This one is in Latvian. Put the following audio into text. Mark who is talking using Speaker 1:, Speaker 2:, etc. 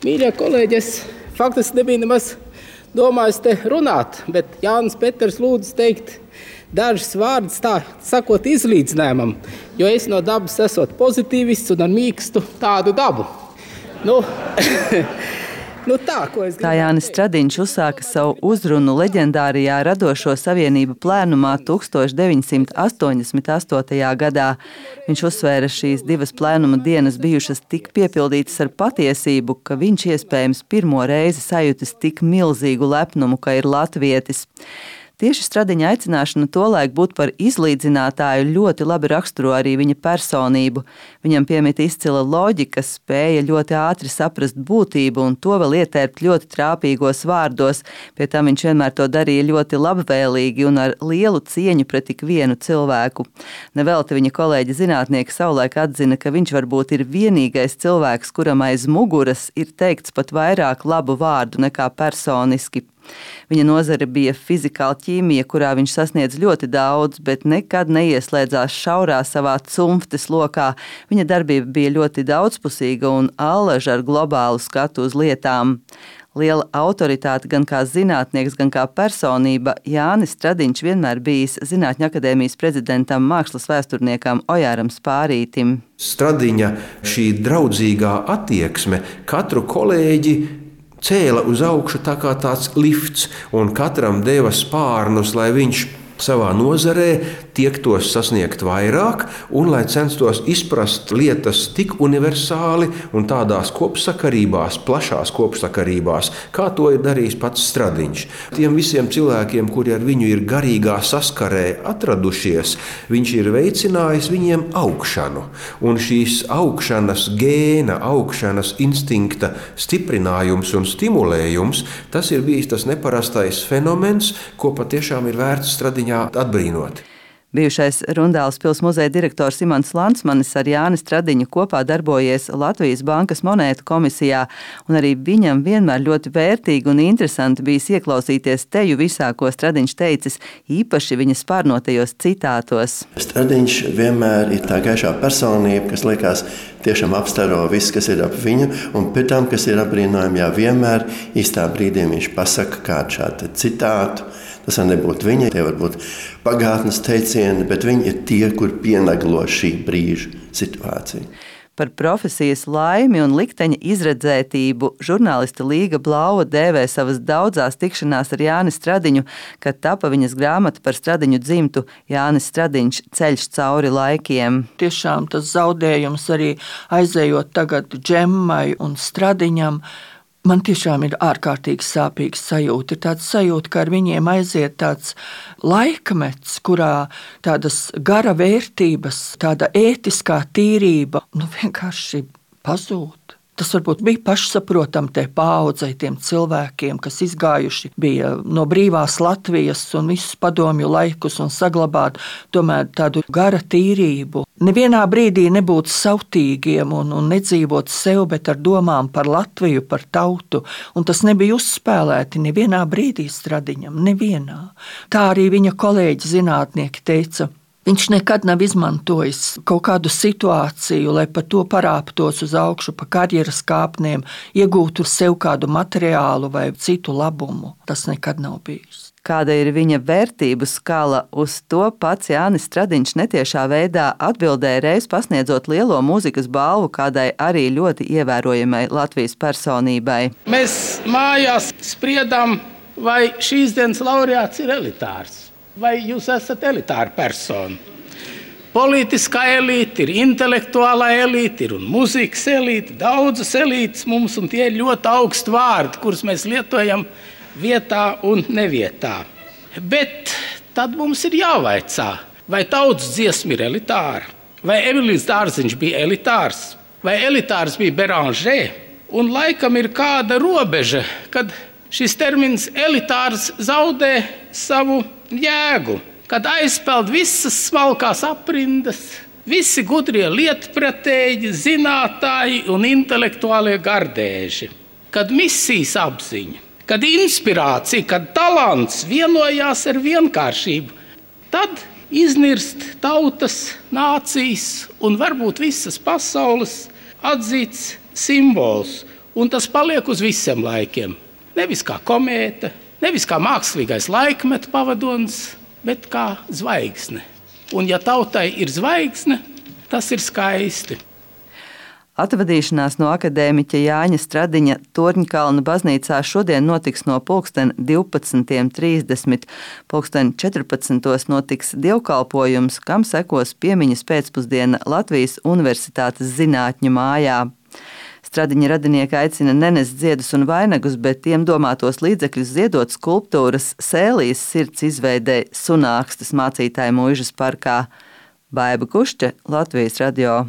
Speaker 1: Mīļie kolēģi, es faktiski nebiju nemaz domājis te runāt, bet Jānis Peters lūdzu teikt dažas vārdas tā sakot izlīdzinājumam, jo es no dabas esot pozitīvists un ar mīkstu tādu dabu.
Speaker 2: Tā Jānis Stradiņš uzsāka savu uzrunu leģendārijā Radošo savienību plēnumā 1988. gadā. Viņš uzsvēra šīs divas plēnuma dienas bijušas tik piepildītas ar patiesību, ka viņš iespējams pirmo reizi sajutis tik milzīgu lepnumu, ka ir latvietis. Tieši Stradiņa aicināšana tolaik būt par izlīdzinātāju ļoti labi raksturo arī viņa personību. Viņam piemita izcila loģika, spēja ļoti ātri saprast būtību un to vēl ietērpt ļoti trāpīgos vārdos. Pie tam viņš vienmēr to darīja ļoti labvēlīgi un ar lielu cieņu pret ik vienu cilvēku. Nevelti viņa kolēģi zinātnieki savulaik atzina, ka viņš varbūt ir vienīgais cilvēks, kuram aiz muguras ir teikts pat vairāk labu vārdu nekā personiski. Viņa nozare bija fizikāla ķīmija, kurā viņš sasniedz ļoti daudz, bet nekad neieslēdzās šaurā savā cumftes lokā. Viņa darbība bija ļoti daudzpusīga un allaža ar globālu skatu uz lietām. Liela autoritāte gan kā zinātnieks, gan kā personība, Jānis Stradiņš vienmēr bijis Zinātņu akadēmijas prezidentam, mākslas vēsturniekam Ojāram Spārītim.
Speaker 3: Stradiņa šī draudzīgā attieksme katru kolēģi cēla uz augšu tā kā tāds lifts, un katram deva spārnus, lai viņš savā nozarē tiektos sasniegt vairāk, un lai censtos izprast lietas tik universāli un tādās kopsakarībās, plašās kopsakarībās, kā to ir darījis pats Stradiņš. Tiem visiem cilvēkiem, kuri ar viņu ir garīgā saskarē atradušies, viņš ir veicinājis viņiem augšanu. Un šīs augšanas gēna, augšanas instinkta stiprinājums un stimulējums, tas ir bijis tas neparastais fenomens, ko patiešām ir vērts Stradiņā atbrīnot.
Speaker 2: Bijušais Rundāles pils muzeja direktors Imants Lansmanis ar Jāni Stradiņu kopā darbojies Latvijas Bankas monētu komisijā, un arī viņam vienmēr ļoti vērtīgi un interesanti bijis ieklausīties teju visā, ko Stradiņš teicis, īpaši viņa spārnotajos citātos.
Speaker 4: Stradiņš vienmēr ir tā gaišā personība, kas liekas tiešām apstaro viss, kas ir ap viņu, un pēc tam, kas ir apbrīnojami, vienmēr īstā brīdī viņš pasaka kādu šādu citātu. Tas var nebūt viņa, tie var būt pagātnes teicieni, bet viņi ir tie, kur pienaglo šī brīža situāciju.
Speaker 2: Par profesijas laimi un likteņa izredzētību žurnāliste Līga Blauva dēvē savas daudzās tikšanās ar Jāni Stradiņu, kad tapa viņas grāmata par Stradiņu dzimtu Jānis Stradiņš ceļš cauri laikiem.
Speaker 5: Tiešām tas zaudējums arī aizējot tagad Džemmai un Stradiņam, man tiešām ir ārkārtīgi sāpīgs sajūta. Ir tāds sajūta, ka ar viņiem aiziet tāds laikmets, kurā tādas gara vērtības, tāda ētiskā tīrība, vienkārši pazūd. Tas varbūt bija pašsaprotam te paaudzei, tiem cilvēkiem, kas izgājuši bija no brīvās Latvijas un visus padomju laikus un saglabāt tomēr tādu gara tīrību. Nevienā brīdī nebūt sautīgiem un nedzīvot sev, bet ar domām par Latviju, par tautu. Un tas nebija uzspēlēti nevienā brīdī Stradiņam, nevienā. Tā arī viņa kolēģi zinātnieki teica. Viņš nekad nav izmantojis kaut kādu situāciju, lai par to parāptos uz augšu, pa karjeras kāpnēm, iegūtu sev kādu materiālu vai citu labumu. Tas nekad nav bijis.
Speaker 2: Kāda ir viņa vērtību skala, uz to pats Jānis Stradiņš netiešā veidā atbildēja reiz pasniedzot lielo mūzikas balvu kādai arī ļoti ievērojamai Latvijas personībai.
Speaker 1: Mēs mājās spriedām, vai šīs dienas laureāts ir elitārs. Vai jūs esat elitāra persona? Politiskā elīte, ir intelektuālā elīte, ir un mūzikas elīte, daudzas elītes mums, un tie ir ļoti augsti vārdi, kurus mēs lietojam vietā un nevietā. Bet tad mums ir jāvaicā, vai tautas dziesma ir elitāra, vai Emīls Dārziņš bija elitārs, vai elitārs bija Beranger, un laikam ir kāda robeža, kad šis termins elitārs zaudē savu jēgu, kad aizpeld visas smalkās aprindas, visi gudrie lietpratēji, zinātāji un intelektuālie gardēži, kad misijas apziņa, kad inspirācija, kad talants vienojās ar vienkāršību, tad iznirst tautas, nācijas un varbūt visas pasaules atzīts simbols. un tas paliek uz visiem laikiem. Nevis kā komēta, nevis kā mākslīgais laikmetu pavadonis, bet kā zvaigzne. Un ja tautai ir zvaigzne, tas ir skaisti.
Speaker 2: Atvadīšanās no akadēmiķa Jāņa Stradiņa Torņkalna baznīcā šodien notiks no 12:30. 14:00 notiks dievkalpojums, kam sekos piemiņas pēcpusdiena Latvijas Universitātes zinātņu mājā. Stradiņa radinieki aicina nenest ziedus un vainagus, bet tiem domātos līdzekļus ziedot skulptūras Sēlijas sirds izveidei Sunākstas mācītāju mūžas parkā. Baiba Kušķe, Latvijas radio.